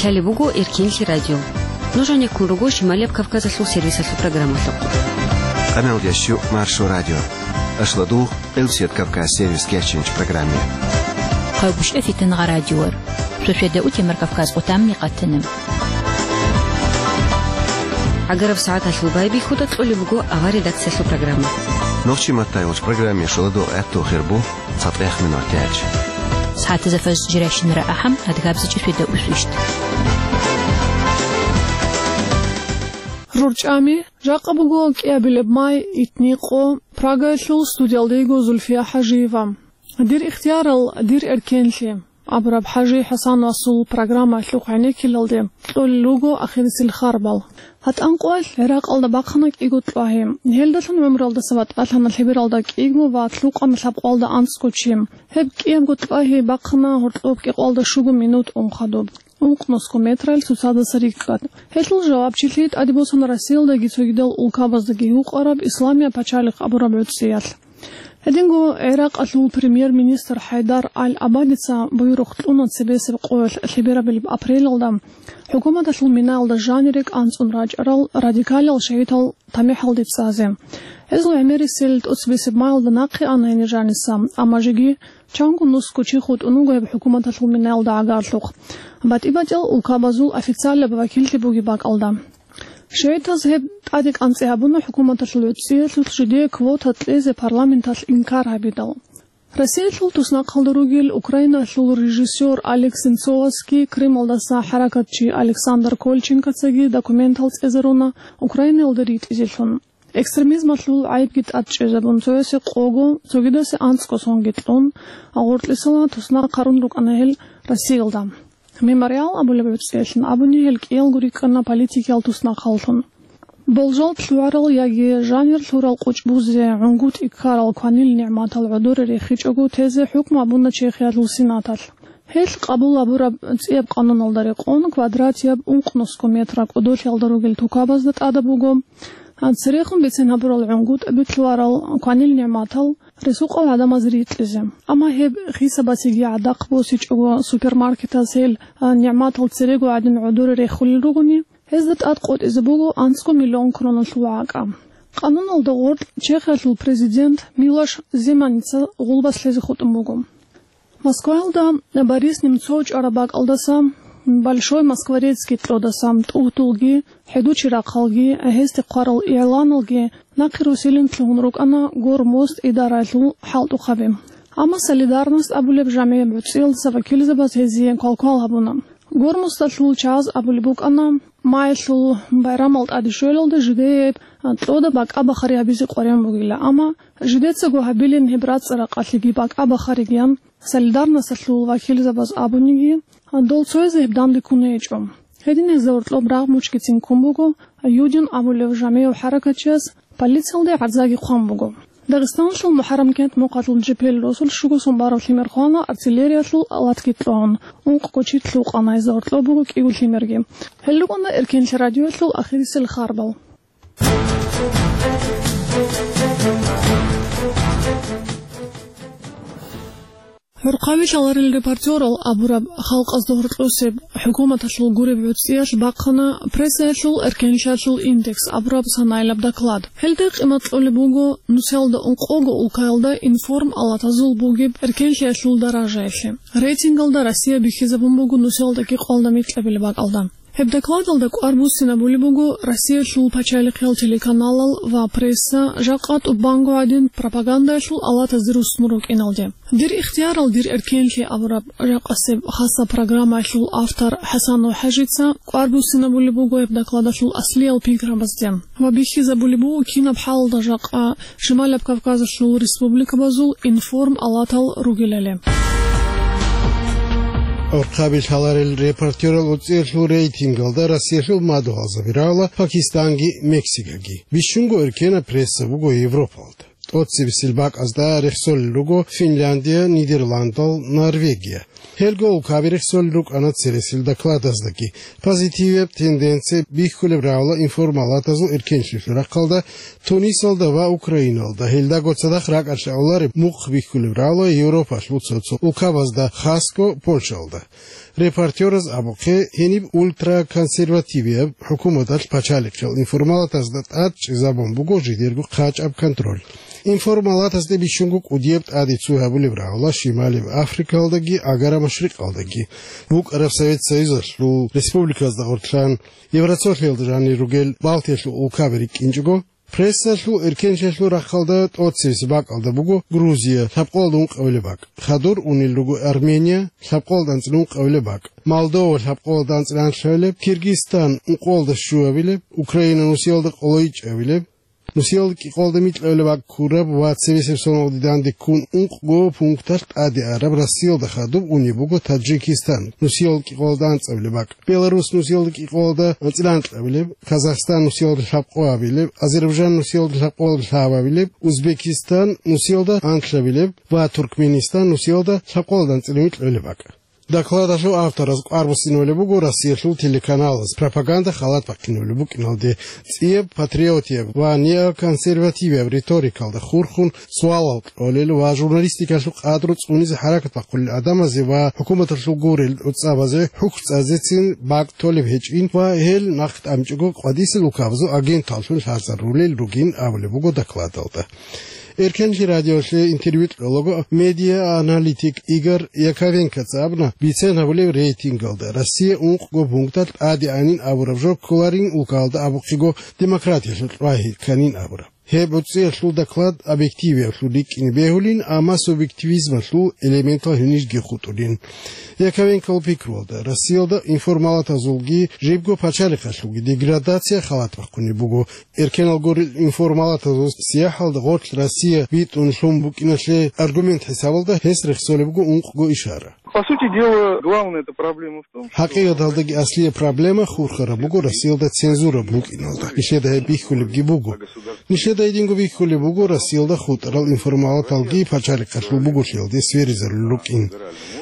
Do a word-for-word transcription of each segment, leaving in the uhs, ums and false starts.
Лъалеб буго Эркенлъи радио. Нуж гьанеккун руго Шималияб Кавказалъул сервисалъул программалъухъ. Къамелдящу Маршо радио. Ашладугъ, Элсият Кавказ сервис кеченч программе. Хъайгушев Фитангъа радиор. Шошеда утемар Кавказ къутамни къатана. Агараб сагӀаталъул байбихьуда кьолеб буго авар редакциялъул программа. Нохчи маттайгъуч программе шоладугъ гӀатту хирбу. ЦатӀех минутач. СагӀатазда фажр жирашинара ахӀам, адгабзичӀи феда усвищ. РурчӀами, жакъа буго кӀиабилеб май, итни къо, Прагаялъул, студиялда йиго Зульфия ХӀажиева. Дир ихтиярал, дир эркенлъи абураб ХӀажи ХӀасан Васул программаялъухъ гӀенеккелалде кьолел руго ахирисел харбал. ГьатӀан къоялъ ГӀиракъалда бахъана кӀиго тӀвагьи. Гьелдалъун гӀумруялдаса батӀалъана лъебералда кӀиго ва лъукъана лъабкъоялда анцӀго чи. Гьеб кӀиябго тӀвагьи бахъана гьоркьоб кӀикъоялда щуго минут ун хадуб, ункънусго метрал цоцадаса рикӀкӀад. Гьелъул жавабчилъи тӀаде босана Россиялдаги цогидал улкабаздаги гьукъараб Исламияб пачалихъ абураб гӀуцӀиялъ. Гьединго ГӀиракъалъул премьер-министр ХӀайдар Аль-Абадица буюрухъ кьуна цебесеб къоялъ лъеберабилеб апрелалда хӀукуматалъул минаялда жанире кӀанцӀун рачӀарал радикалал шагьидал тамихӀалде цӀазе. Гьезул гӀемерисел тӀоцебесеб маялда нахъе ана гьенир жаниса, амма жеги чанго нусго чи хутӀун вуго гьеб хӀукуматалъул минаялда гӀагарлъухъ, батӀи-батӀиял улкабазул официалаб вакиллъи бугеб бакӀалда. ШигӀитаз гьеб тӀаде кӀанцӀи гьабуна хӀукуматалъул гӀуцӀиялъулъ жидее квота кьезе парламенталъ инкар гьабидал. Россиялъул туснахъалда ругел Украиналъул режиссёр Олег Сенцовасги Крымалдаса хӀаракатчи Александр Кольченкоцаги документал цӀезаруна Украинаялда ритӀизелъун. Экстремизмалъул гӀайибги тӀад чӀезабун, цоясе къого, цогидасе анцӀго сонги кьун, гъоркьисала туснахъ гьарун рукӀана гьел Россиялда. Мемориал абулеб гӀуцӀиялъун абуни, гьел кӀиялго рикӀкӀана политикиял туснахъаллъун. Болжал лъугӀарал яги жанир лъурал къучӀбузе, гӀунгутӀи ккарал кванил нигӀматал гӀодоре рехичӀого тезе хӀукму абуна Чехиялъул Сенаталъ. Гьелъ къабул гьабураб цӀияб къануналда рекъон квадратияб ункънусго метра кӀодолъиялда ругел тукабазда тӀадаб буго. Церехун бицен гьабурал гӀунгутӀаби лъугӀарал кванил нигӀматал ресукъал гӀадамаз рикьизе. Амма гьеб хисабасеги гӀадахъ босичӀого, супермаркетаз гьел, а, нигӀматал церего гӀадин гӀодоре рехулел ругони, гьезда тӀад къотӀизе буго анцӀго миллион кроналъул гӀакӀа. Къануналда гъоркь Чехиялъул президент Милош Земаница гъулбас лъезе хутӀун буго. Москваялда Борис Немцов чӀвараб бакӀалдаса, Большой Москворецкий кьодаса, тӀугьдулги, хӀедучи рахъалги, гьесде хъварал игӀланалги нахъе руссилин лъугьун рукӀана Гормост идараялъул хӀалтӀухъаби. Амма Солидарность абулеб жамгӀияб гӀуцӀиялдаса вакилзабаз гьезие квалквал гьабуна. Гормосталъул чагӀаз абулеб букӀана, маялъул байрамал тӀаде щвелалда жидее кьода бакӀа-бахари гьабизе къваригӀун бугила, амма жидецаго гьабилин гьеб рацӀцӀа-ракъалъеги бакӀа-бахаригиян Солидарносталъул вакилзабаз абуниги, дол цоязе гьеб данде ккун гьечӀо. Гьедин гьезда гьоркьоб рагъ мучгицин ккун буго Юдин абулев жамгӀияв хӀаракатчияс, полициялде гӀарзаги хъван буго. Дагъистаналъул МухӀаррам кент мухъалъул жепел росулъ щуго сон бараб лъимер хвана артиллериялъул алатги кьун, ункъго чи лъукъана, гьезда гьоркьоб буго кӀиго лъимерги. Гьел рукӀана Эркенлъи радиоялъул ахирисел харбал. ГӀурхъаби лъаларел репортерал абураб халкъазда гьоркьосеб хӀукуматалъул гуреб гӀуцӀиялъ бахъана прессаялъул эркенлъиялъул индекс абураб санаилаб доклад. Гьелда къимат кьолеб буго нусиялда ункъого улкаялда информ-алатазул бугеб эркенлъиялъул даражаялъе. Рейтингалда Россия бихьизабун буго нусиялда кӀикъоялда микьабилеб бакӀалда. Гьеб докладалда кӀвар буссинабулеб буго Россиялъул пачалихъиял телеканалал ва пресса жакъа тӀубанго гӀадин пропагандаялъул алатазде руссун рукӀиналде. «Дир ихтиярал, дир эркенлъи» абураб жакъасеб хасаб программаялъул автор ХӀасанов ХӀажица кӀвар буссинабулеб буго гьеб докладалъул аслиял пикрабазде ва бихьизабулеб буго кинаб хӀалалда жакъа Шималаб Кавказалъул республикабазул информ-алатал ругелали. ГӀурхъаби лъаларел репортерал гӀуцӀиялъул рейтингалда Россиялъул мадугьалзаби рагӀула Пакистанги Мексикаги. Бищунго эркенаб пресса буго Европалда. тӀоцебесел бакӀазда рехсолел руго Финляндия, Нидерландал, Норвегия. Гьелго улкаби рехсолел рукӀана цересел докладаздаги. Позитивияб тенденция бихьулеб рагӀула информалатазул эркенлъиялъул рахъалда Тунисалда ва Украиналда, гьелдаго цадахъ ракӀалъ гӀолареб мухъ бихьулеб рагӀула Европалъул цо-цо улкабазда, хасго Польшалда. Репортераз абухъе, гьениб ультраконсервативияб хӀукуматалъ пачалихъиял информалатазда тӀад чӀезабун буго жидерго хъачӀаб контроль. Информалатазде бищунго кӀудияб тӀаде цой гьабулеб рагӀула Шималияб Африкалдаги Агара-Машрикъалдаги. БукӀараб Совет Союзалъул республиказда гъорлъан, Евроцолъиялда жанир ругел Балтиялъул улкаби рикӀкӀинчӀого, прессалъул эркенлъиялъул рахъалда тӀоцебесеб бакӀалда буго Грузия, лъабкъоялда ункъабилеб бакӀ. Хадур унел руго Армения, лъабкъоялда анцӀила ункъабилеб бакӀ. Молдова, лъабкъоялда анцӀила анлъабилеб, Киргизстан, ункъоялда щуабилеб, Украина, нусиялда къолойчӀабилеб, нусиялда кӀикъоялда микьабилеб бакӀ ккураб ва цебесеб соналде данде ккун ункъго пункталъ тӀаде араб Россиялда хадуб унеб буго Таджикистан, нусиялда кӀикъоялда анцӀабилеб бакӀ. Беларус, нусиялда кӀикъоялда анцӀила анкьабилеб, Казахстан, нусиялда лъабкъоабилеб, Азербайджан, нусиялда лъабкъоялда лъабабилеб, Узбекистан, нусиялда анлъабилеб ва Туркменистан, нусиялда лъабкъоялда анцӀила микьабилеб бакӀ. Докладалъул автораз кӀвар буссинабулеб буго Россиялъул телеканалаз пропаганда халат бахъинабулеб букӀиналде, цӀияб патриотияб ва неоконсервативияб риторикалда хурхун суалал кьолел ва журналистикалъул къадру цӀунизе хӀаракат бахъулел гӀадамазе ва хӀукуматалъул гурел гӀуцӀабазе хӀухь цӀазецин бакӀ толеб гьечӀин ва гьел нахъ тӀамичӀого къвадисел улкабазул агенталлъун лъазарулел ругин абулеб буго докладалда. Эркенлъи радиолъе интервью кьолаго медиа-аналитик Игорь Яковенкоца абуна, бицен гьабулеб рейтингалда Россия ункъго пункталъ тӀаде анин абураб жо кколарин улкалда абухъего демократиялъул чӀвай кканин абураб. Гьеб гӀуцӀиялъул доклад объективиявлъун рикӀкӀине бегьулин, амма субъективизмалъул элементал гьенижги хутӀулин. Яковенкол пикруялда, Россиялда информалатазулги жибго пачалихъалъулги деградация халат бахъунеб буго. Эркенал гурел информалатазул сияхӀалда гъорлъ Россия битӀун лъун букӀиналъе аргумент хӀисабалда гьес рехсолеб буго ункъго ишара. По сути дела, главная эта проблема в том, что ХӀакъикъаталдаги аслияб проблема хурхараб буго Россиялда цензура букӀиналда. Нилъеда гьеб бихьулебги буго. Нилъеда гьединго бихьулеб буго Россиялда хутӀарал информалаталги пачалихъалъул буголъиялде сверизарулел рукӀин.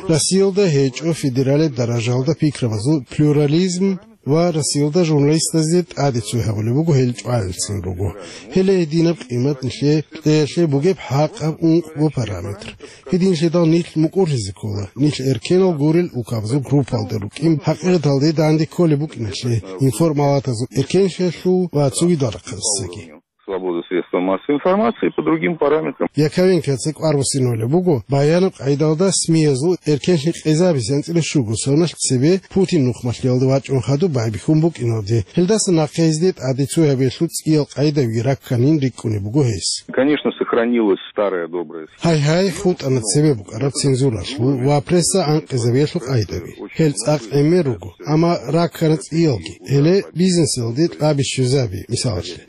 Россиялда гьечӀо федералияб даражалда пикрабазул плюрализм ва Россиялда журналистазе тӀаде цой гьабулеб буго гьел чӀваялъцин руго. Гьеле гьединаб къимат нилъее кьеялъе бугеб хӀакъаб ункъго параметр. Гьединлъидал нилъ мукӀурлъизе ккола, нилъ эркенал гурел улкабазул группалда рукӀин хӀакъикъаталде данде кколеб букӀиналъе, информалатазул эркенлъиялъул ва цогидал рахъалдасаги. Свободу средства массовой информации по другим параметрам. Яковенкоца кӀвар буссинабулеб буго баянаб къайдалда СМИ-язул эркенлъи къезабизе анцӀила щуго соналъ цебе Путин нухмалъиялда вачӀун хадуб байбихьун букӀиналде. Гьелдаса нахъе гьезде тӀаде цой гьабиялъул цӀиял къайдаби ракканин рикӀкӀунеб буго гьес. Конечно, сохранилась старая добрая схема. Гьай-гьай, хутӀана цебе букӀараб цензуралъул ва пресса анкъизабиялъул къайдаби. Гьел цӀакъ гӀемер руго, амма раккана цӀиялги. Гьеле бизнесалде кьаби щвезаби, мисалалъе.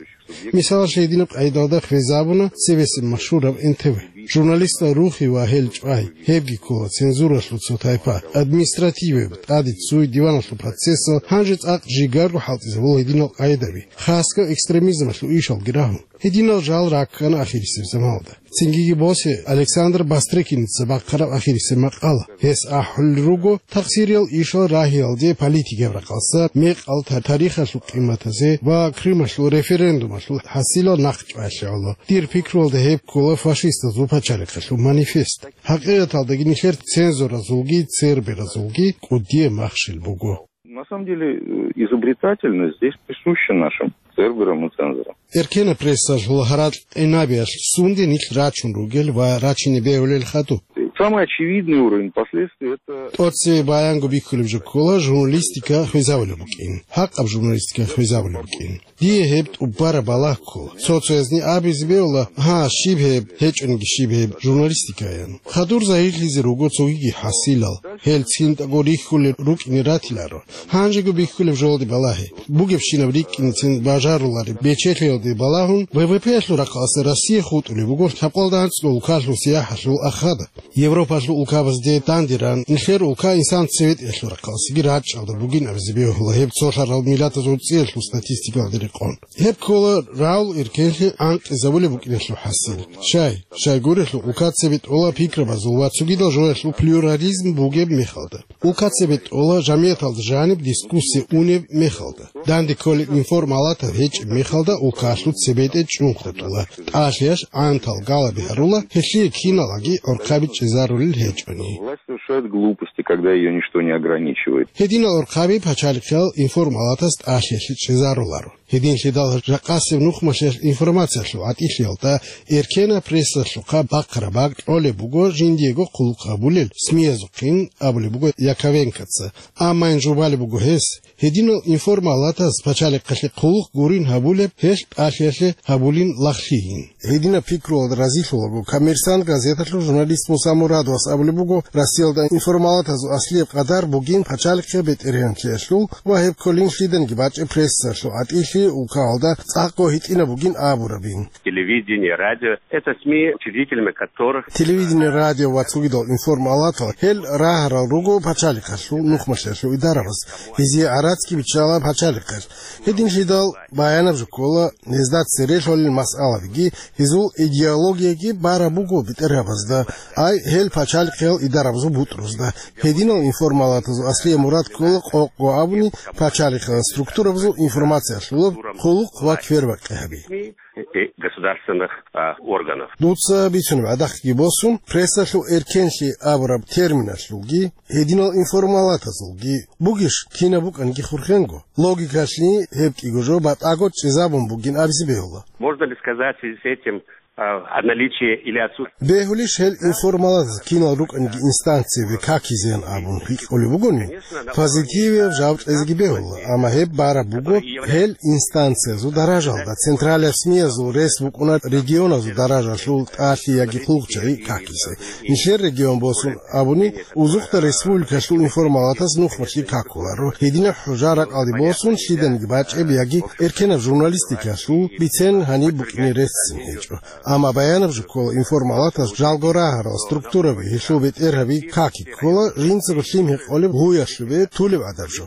Мисалалъе, гьединаб къайдалда хвезабуна цебесеб машгьураб Н Т В. Журналистал рухи ва гьел чӀвай, гьебги ккола цензуралъул цо тайпа, административияб, тӀаде цой, диваналъул процессал, гьанже цӀакъ жигарго хӀалтӀизабула гьединал къайдаби, хасго экстремизмалъул ишалги рагьун. Гьединал жал раккана ахирисеб заманалда. Цинги босе Александр Бастрыкиница бахъараб ахирисеб макъала. Гьес ахӀулел руго, тахсириял ишал рагьиялде политикияб рахъалъа, мекъал та-, тарихалъул къиматазе ва Крымалъул референдумалъул хӀасилал нахъ чӀваялъе гӀоло. Дир пикруялда гьеб ккола фашистазул пачалихъалъул манифест. ХӀакъикъаталдаги нилъер цензоразулги церберазулги кӀудияб махщел буго. На самом деле, э, изобретательность здесь присуща нашим церберам и цензорам. Эркенаб прессалъул гьаракь-къинабиялъ сунде нилъ рачун ругел ва рачине бегьулел хадуб. Самый очевидный уровень последствий — это... ТӀоцебе баянго бихьулеб жо ккола журналистика хвезабулеб букӀин, хӀакъаб журналистика хвезабулеб букӀин. Дие гьеб тӀубараб балагь ккола. Цо-цоязни абизе бегьула, гьа, щиб гьеб, гьечӀониги щиб гьеб журналистикаян. Хадур загьирлъизе руго цогиги хӀасилал. Гьел цинтӀаго рихьулел рукӀине ратиларо. Гьанжего бихьулеб жолде балагье. Бугебщинаб рикӀкӀинецин бажарулареб бечелъиялде балагьун, В В П-ялъул рахъалъа Россия хутӀулеб буго лъабкъоялда анцӀила улкалъул сияхӀалъул ахада. Европалъул улкабазде дандеран, нилъер улка инсан цебетӀиялъул рахъаласеги рачӀалда бугин абизе бегьула гьеб цолъарал миллатазул цӀиялъул статистикалде рекъон. Гьеб ккола рагӀул эркенлъи анкьизабулеб букӀиналъул хӀасил. Щай, щайгурелъул улка цебетӀола пикрабазул ва цогидал жоялъул плюрализм бугеб мехалда. Улка цебетӀола жамияталда жаниб дискуссия унеб мехалда. Данде кколеб информалатаб гьечӀеб мехалда улкалъул цебетӀе чӀун хутӀула, тӀалъиялъ гӀантал галаби гьарула, гьелъие киналаги гӀорхъаби чӀезарулел гьечӀони. Власть совершает глупости, когда её ничто не ограничивает. Гьединал гӀорхъаби пачалихъал информалатас тӀалъиялъе чӀезаруларо. Гьединлъидал жакъасеб нухмалъиялъ информациялъул гӀатӀилъиялда эркенаб прессалъухъа бахъараб бакӀ кьолеб буго жиндиего хъулухъ гьабулел СМИ-язухъин, абулеб буго Яковенкоца. Амма ин жубалеб буго гьес, гьединал информалатаз пачалихъалъе хъулухъ гурин гьабулеб гьелъ тӀалъиялъе гьабулин лагълъийин. Гьединаб пикруялда разилъулаго «Коммерсант» газеталъул журналист Муса Мурадовас абулеб буго, Россиялда информалатазул аслияб къадар бугин пачалихъе бетӀергьанлъиялъул ва гьеб кколин лъиданиги бачӀеб прессалъул гӀатӀилъи улкаялда цӀакъго гьитӀинаб бугин абурабин. Телевидение, радио — это СМИ, учредителями которых... Телевидение, радио ва цогидал информалатал гьел рагьарал руго пачалихъалъул нухмалъиялъул идарабаз, гьезие гӀарацги биччала пачалихъалъ. Гьединлъидал баянаб жо ккола гьезда цере лъолел масъалабиги, гьезул идеологияги бараб буго бетӀергьабазда, ай гьел пачалихъиял идарабазул бутӀрузда. Гьединал информалатазул аслияб мурад ккола къокъго абуни пачалихъиял структурабазул информация лъолеб хъулухъ ва квербакъи гьаби. И государственных, а, органов. Дуца бицунеб гӀадахъги босун, прессалъул эркенлъи абураб терминалъулги, гьединал информалатазулги бугищ кинаб букӀанги хурхенго? Логикалъни гьеб кӀиго жо батӀаго чӀезабун бугин абизе бегьула. Можно ли сказать в связи с этим, а, о наличии или отсутствии... Бегьулищ гьел информалатаз кинал рукӀанги инстанциябе какизеян абун гьикъулеб бугони, позитивияб жаваб кьезеги бегьула, амма гьеб бараб буго гьел инстанциязул даражалда, централияб СМИ-язул рес букӀуна регионазул даражалъул тӀалъи яги хъулухъчагӀи какизе. Нилъер регион босун абуни, узухъда республикалъул информалатаз нухмалъи какуларо, гьединаб хӀужа ракӀалде босун лъиданиги бачӀеб яги эркенаб журналистикалъул бицен гьаниб букӀине реццин гьечӀо. Амма баянаб жо ккола информалатаз жалго рагьарал структураби, гьелъул бетӀергьаби каки ккола жинцаго лъим гьекъолеб гьуялъубе тулеб гӀадаб жо.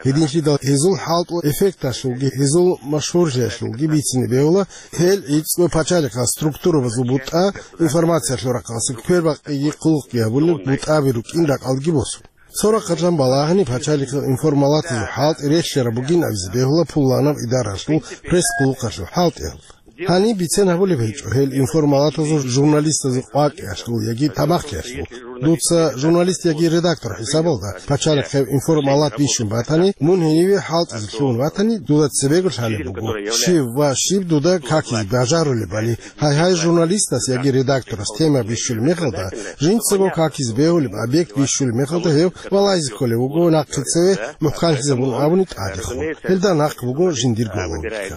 Гьединлъидал гьезул хӀалтӀул эффекталъулги, гьезул машгьурлъиялъулги бицине бегьула гьел гӀицӀго пачалихъал структурабазул бутӀа, информациялъул рахъалъе квербакъиги хъулухъги гьабулел бутӀаби рукӀин ракӀалдеги босун. Цо рахъалъан балагьани пачалихъал информалатазул хӀалтӀи релълъараб бугин абизе бегьула пуланаб идаралъул пресс-хъулухъалъул хӀалтӀиялда. Гьаниб бицен гьабулеб гьечӀо гьел информалатазул журналистазул къвакӀиялъул яги тамахлъиялъул. Дуца журналист яги редактор хӀисабалда пачалихъеб информалат бищун батани, мун гьениве хӀалтӀизе лъугьун ватани, дуда цебего лъалеб буго, щив ва щиб дуда какизе бажарулебали. Гьай-гьай, журналистас яги редакторас тема бищулеб мехалда, жинцаго какизе бегьулеб объект бищулеб мехалда гьев валазе кколев вуго нахъе цеве мухӀканлъизабун абуни тӀадехун. Гьелда нахъ буго жиндирго логика.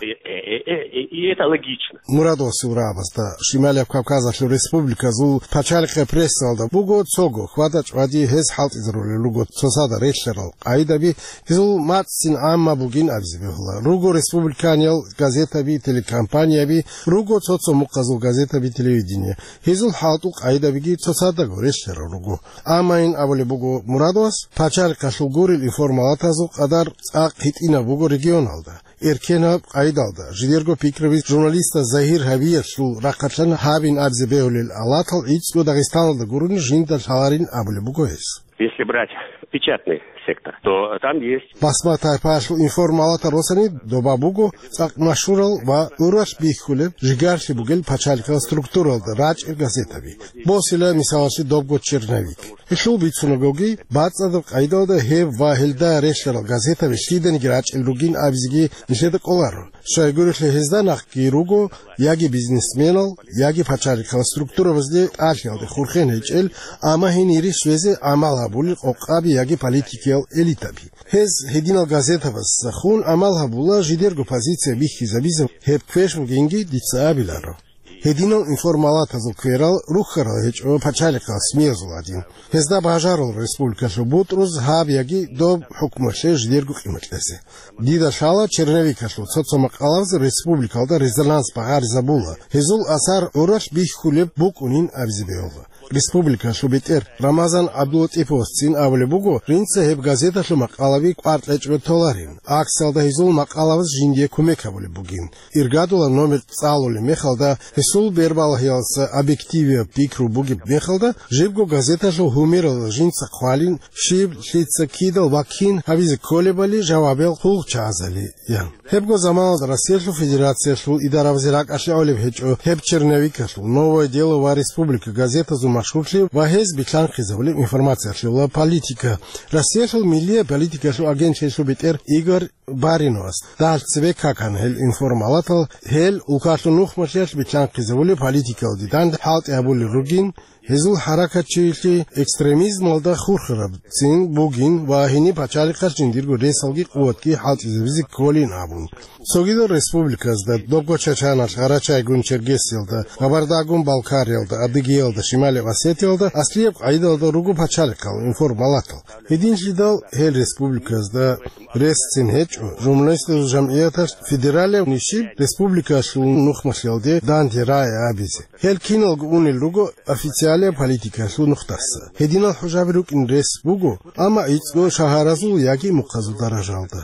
И это логично. Мурадовасул рагӀабазда Шималияб Кавказалъул республиказул пачалихъе прессалда буго цого хьвада-чӀвади гьез хӀалтӀизарулел руго цоцазда релълъарал къагӀидаби, гьезул мацӀцӀин гӀамма бугин абизе бегьула. Руго республиканиял газетаби, телекомпаниеби, руго цо-цо мухъазул газетаби, телевидение. Гьезул хӀалтӀул къагӀидабиги цоцаздаго релълъарал руго. Амма ин абулеб буго Мурадовас, пачалихъалъул гурел информалатазул къадар цӀакъ гьитӀинаб буго регионалда. Эркенаб къагӀидалда, жидерго пикраби журналистас загьир гьабиялъул рахъалъан гьабин абизе бегьулел алатал гӀицӀго Дагъистаналда гурони жинда лъаларин абулеб буго гьес. Если брать печатный сектор, то там есть... Басма тайпаялъул информалатал росани доба буго цӀакъ машгьурал ва гӀуралъ бихьулеб, жигарлъи бугел пачалихъал структуралда рачӀел газетаби. Босила мисалалъе добго «Черновик». Гьелъул бицунагоги, бацӀцӀадаб къагӀидалда гьеб ва гьелда релълъарал газетаби лъиданиги рачӀел ругин абизеги нилъеда кӀоларо. Щайгурелъул гьезда нахъги руго яги бизнесменал, яги пачалихъал структурабазде тӀалъиялде хурхен гьечӀел, амма гьенире щвезе гӀамал гьабулел къокъаби яги политикиял элитаби. Гьез гьединал газетабазда хун гӀамал гьабула жидерго позиция бихьизабизе, гьеб квеш бугинги дица абиларо. Гьединал информалатазул кверал рухьарал гьечӀо пачалихъал СМИ-язул гӀадин. Гьезда бажарал республикалъул бутӀруз гьаб яги доб хӀукмуялъе жидерго къимат кьезе. Дида лъала черновикалъул цо-цо макъалабаз республикалда резонанс багъаризабула, гьезул асар гӀуралъ бихьулеб букӀунин абизе бегьула. республикалъул бетӀер Рамазан ГӀабдулатӀиповасцин абулеб буго, жинца гьеб газеталъул макъалаби кӀвар кьечӀого толарин, акциялда гьезул макъалабаз жиндие кумек гьабулеб бугин. Иргадулаб номер цӀалулеб мехалда, гьесул бербалагьиялдаса объективияб пикру бугеб мехалда, жибго газеталъул гьумералда жинца хъвалин, щиб, лъица, кидал ва кин гьабизе кколебали жавабиял хъулухъчагӀазали, ян. Гьебго заманалда Россиялъул Федерациялъул идарабазе ракӀалъе гӀолеб гьечӀо гьеб черновикалъул «Новое дело» ва «Республика» газетазул машгьурлъи ва гьез билълъанхъизабулеб информациялъула политика. Россиялъул миллияб политикалъул агентлъиялъул бетӀер Игорь Бариновас дагьалъ цебе какана гьел информалатал, гьел улкалъул нухмалъиялъ билълъанхъизабулеб политикалде данде хӀалтӀи гьабулел ругин, гьезул хӀаракатчилъи экстремизмалда хурхарабцин бугин ва гьениб пачалихъалъ жиндирго ресалги къуватги хӀалтӀизабизе кколин абун. Цогидал республиказда, добго Чачаналъ, Гъарачайгун Чергесиялда, Кабардагун Балкариялда, Адыгеялда, Шималияб Осетиялда аслияб къагӀидалда руго пачалихъал информалатал. Гьединлъидал гьел республиказда ресцин гьечӀо, журналистазул жамгӀияталъ федералияб нишиб республикалъул нухмалъиялде данде рагӀи абизе. Гьел киналго унел руго официалияб политикалъул нухдаса. Гьединал хӀужаби рукӀин рес буго, амма гӀицӀго шагьаразул яги мухъазул даражалда.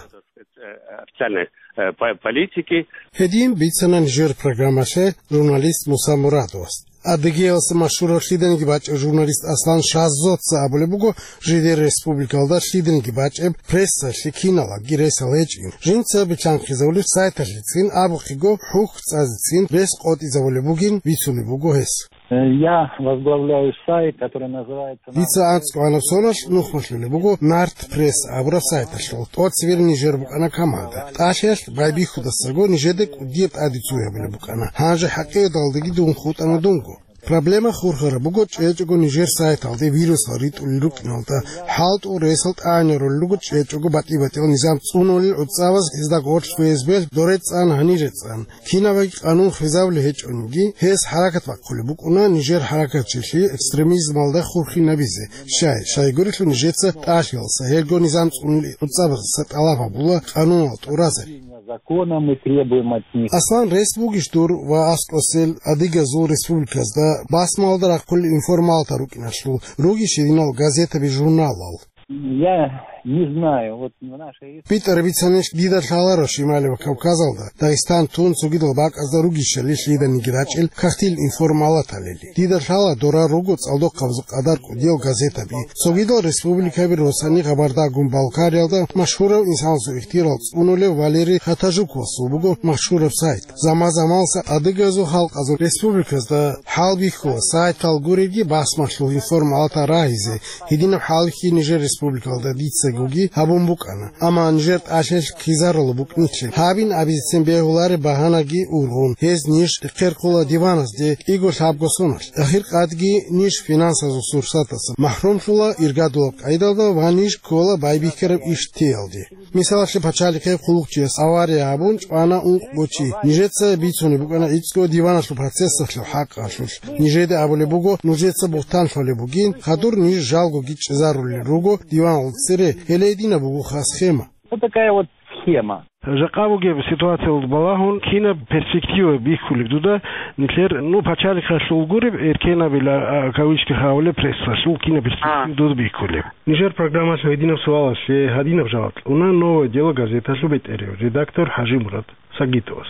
Официальной, э, по-, политики. Гьедин бицана нижер программалъе журналист Муса Мурадовас. Адыгеялъа машгьурав лъиданиги бачӀев журналист Аслан Шазоца абулеб буго, жидер республикалда лъиданиги бачӀеб прессалъе киналаги ресал гьечӀин. Жинца билълъанхъизабулеб сайталъецин абухъего хӀухь цӀазецин рес къотӀизабулеб бугин бицунеб буго гьес. Э, я возглавляю сайт, который называется Дица анцӀго гьанаб соналъ нухмалъулеб буго Нарт Пресс абураб сайталъул. ТӀоцебе нижер букӀана команда. ТӀалъиялъ байбихьудасаго нижеда кӀудияб тӀаде цуябилеб букӀана. Гьанже хӀакъикъаталдаги дун хутӀана дунго. Проблема хурхараб буго чӀечӀого нижер сайталде вирусал ритӀулел рукӀиналда, хӀалтӀул ресал тӀагӀинарулел руго чӀечӀого батӀи-батӀиял низам цӀунулел гӀуцӀабаз гьезда гъорлъ ФСБ-л доре цӀан, гьанире цӀан. Кинабаги къанун хвезабулеб гьечӀониги, гьес хӀаракат бахъулеб букӀуна нижер хӀаракатчилъи экстремизмалда хурхинабизе. Щай, щайгурелъул нижеца тӀалъиялса гьелго низам цӀунулел гӀуцӀабаздаса тӀалаб гьабула къануналда тӀуразе. Законом мы требуем от них. Аслан, рес бугищ дур ва аскӀосел адыгазул республиказда басмалда рахъулел информалта рукӀиналъул, ругищ гьединал газетаби-журналал? Я не знаю. Вот в нашей республике БитӀараб бицанищ дида лъаларо Шималияб Кавказалда, Дагъистан тун цогидал бакӀазда ругищали лъиданиги рачӀел кагътил информалаталили. Дида лъала дора руго цӀалдохъабазул къадар кӀудиял газетаби. Цогидал республикаби росани Кабардагун-Балкариялда машгьурав инсанасул ихтияр цӀунулев Валерий Хатажуковасул буго машгьураб сайт. Заман-заманаса адыгазул халкъазул республиказда хӀалбихьула сайтал гуребги басмалъул информалатал рагьизе, гьединаб хӀалихьи нижер республикалда дицагоги гьабун букӀана. Амма нижер тӀалъиялъ ккезарулеб букӀинчӀеб гьабин абизецин бегьулареб багьанаги ургъун, гьез ниж рехъерхъула диваназде кӀиго-лъабго соналъ. Ахиркъадги ниж финансазул сурсатаса махӀрумлъула иргадулаб къайдалда ва ниж ккола байбихьараб иш теялде. Мисалалъе, пачалихъе хъулухъчияс авария гьабун чӀвана ункъго чи. Нижеца бицунеб букӀана гӀицӀго диваналъул процессалъул хӀакъалъулъ. Нижеда абулеб буго, нужеца бугьтан лъолеб бугин, хадур ниж жалгоги чӀезарулел руго диваналда цере, гьеле гьединаб бугоха схема. Вот такая вот схема. Жакъа бугеб ситуациялда балагьун, кинаб перспектива бихьулеб дуда нилъер, ну, пачалихъалъул гуреб, эркенабила, а, кавычках абулеб, прессалъул кинаб перспектива А. дуда бихьулеб? Нижер программалъул гьединаб суалалъе гьадинаб жаваб кьуна «Новое дело» газеталъул бетӀерев редактор ХӀажимурад Сагитовас.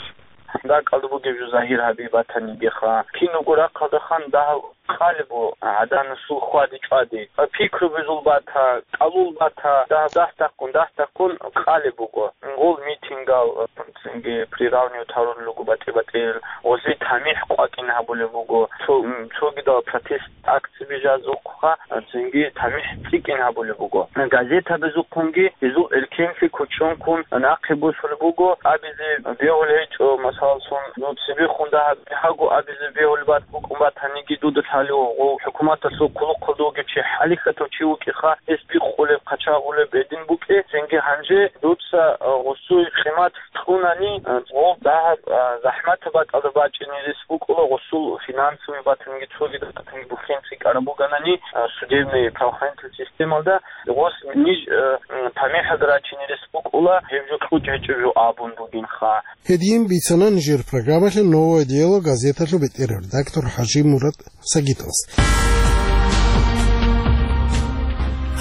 Дакъалда бугеб жо загьир гьаби батанигеха. Киналго рахъалда хан дагьаб къалеб буго гӀаданасул хьвади-чӀвади. Пикру бузул бата, кӀалул бата, дагь-, дагь-таккун, дагь-таккун къалеб буго. Гъол митингал, цинги приравнивать гьарулел руго батӀи-батӀиял, гъозие тамихӀ къвакӀин гьабулеб буго. Цо-, м, цогидал протест акцияби жазухъа, цинги тамихӀ цӀикӀкӀин гьабулеб буго. Газетабазухъунги гьезул эркенлъи кочӀонккун нахъе босулеб буго, абизе бегьулеб гьечӀо, масалалъун, ну, цебехун дагьаб бигьаго абизе бегьулеб бат-, букӀун батаниги, дуда лъалев гъов хӀукуматалъул хъулухъалда вугев чи, хӀалихьатав чи вукӀиха, гьес бикъулеб, хъачагъулеб гьедин букӀе, цинги гьанже дуца, а, гъосул къимат кьунани, а, гъов дагьаб, а, захӀматаб бакӀалда бачӀине рес букӀула, гъосул финансовый батанги цогидал батанги бухӀен цӀикӀкӀараб бугони, а, судебный правоохранительный системалда, гъос ниж, а, м, тамихӀалда рачине рес букӀула, гьеб жо кьучӀ гьечӀеб жо абун бугинха. Гьедин бицана нижер программалъе «Новое дело» газеталъул бетӀерав редактор ХӀажимурад Сагитовас.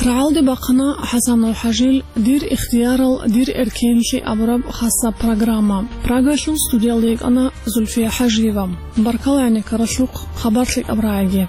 РагӀалде бахъана ХӀасанов ХӀажил «Дир ихтиярал, дир эркенлъи» абураб хасаб программа. Прагалъул студиялда йикӀана Зульфия ХӀажиева. Баркала гӀенеккаралъухъ, хабар лъикӀаб рагӀиги.